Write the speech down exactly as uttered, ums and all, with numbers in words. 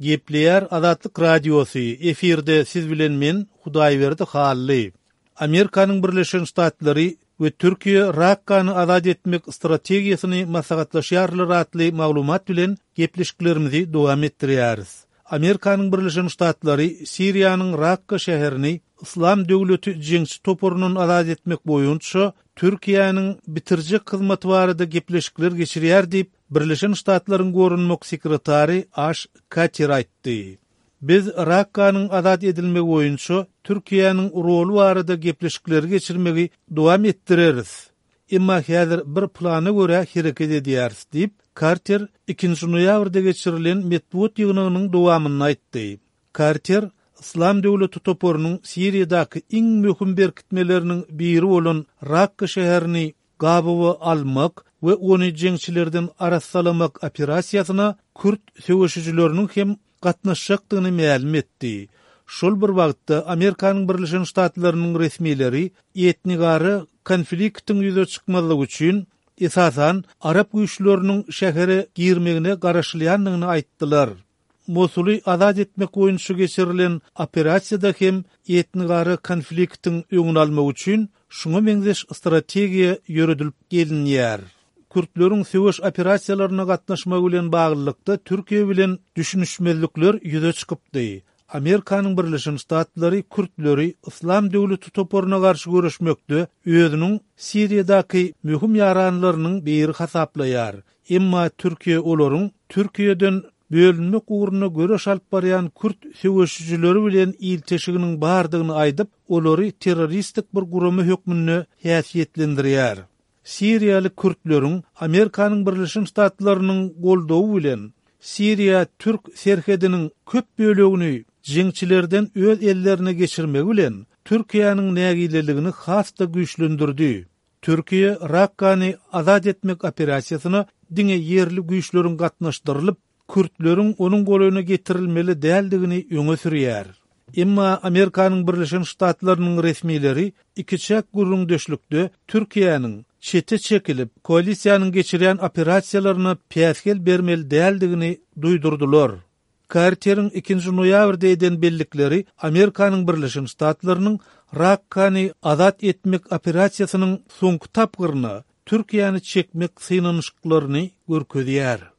Gepleýär Azatlyk Radiosy, efirde siz bilen men Hudaýberdi Hally. Amerikanyň Birleşen Ştatlary we Türkiýe Rakkany azat etmek strategiýasyny maslahatlaşýarlar atly maglumat bilen gepleşiklerimizi dowam etdirýäris. Amerikanyň Birleşen Ştatlary Siriýanyň Rakka şäherini Yslam döwleti jeňçi toparyndan azat etmek boýunça Türkiýäniň bitirjek hyzmaty barada gepleşikler geçirýär diýip, Birleşen Ştatlaryň Goranmak sekretary Aş Kater aýtdy. Biz Rakkanyň azat edilmegi boýunça Türkiýäniň roly barada gepleşikleri geçirmegi dowam etdireris. Emma häzir bir plana görä hereket edýäris diýip, Karter ikinji noýabrda geçirilen metbugat ýygnagynyň dowamynda aýtdy. Karter Yslam döwleti toparynyň Siriýadaky iň möhüm berkitmeleriniň biri bolan Rakka şäherini gabawa almak we ony jeňçilerden arassalamak operasiýasyna kürt söweşijileriniň hem gatnaşjakdygyny mälim etdi. Şol bir wagtda Amerikanyň Birleşen Ştatlarynyň resmileri etnigara konfliktiň ýüze çykmazlygy üçin esasan arap güýçleriniň şähere girmegine garaşylýandygyny aýtdylar. Mosuly azat etmek boýunça geçirilen operasiýada hem etnigara konfliktiň öňüni almak üçin şuňa meňzeş strategiýa ýöredilip gelinýär. Kürtleriň söweş operasiýalaryna gatnaşmagy bilen baglylykda Türkiýe bilen düşünişmezlikler ýüze çykypdy. Amerikanyň Birleşen Ştatlary kürtleri Yslam döwleti toparyna garşy göreşmekde özüniň Siriýadaky möhüm ýaranlarynyň biri hasaplaýar. Emma Türkiýe olaryň Türkiýeden bölünmek ugrunda göreş alyp barýan kürt söweşijileri bilen ilteşiginiň bardygyny aýdyp, olary terroristik bir gurama hökmünde häsiýetlendirýär. Siriýaly kürtleriň Amerikanyň Birleşen Ştatlarynyň goldawy bilen Siriýa-Türk serhediniň köp bölegini jeňçilerden öz ellerine geçirmegi bilen Türkiýäniň nägileligini has-da güýçlendirdi. Türkiýe Rakkany azat etmek operasiýasyna diňe ýerli güýçleriň gatnaşdyrylyp, kürtleriň onuň golaýyna getirilmeli däldigini öňe sürýär. Emma Amerikanyň Birleşen Ştatlarynyň resmileri ikiçäk gürrüňdeşlikde Türkiýäniň çete çekilip, koalisiýanyň geçirýän operasiýalaryna päsgel bermeli däldigini duýdurdylar. Karteriň ikinji noýabrda eden bellikleri Amerikanyň Birleşen Ştatlarynyň Rakkany azat etmek operasiýasynyň soňky tapgyryna Türkiýäni çekmek synanyşyklaryny görkezýär.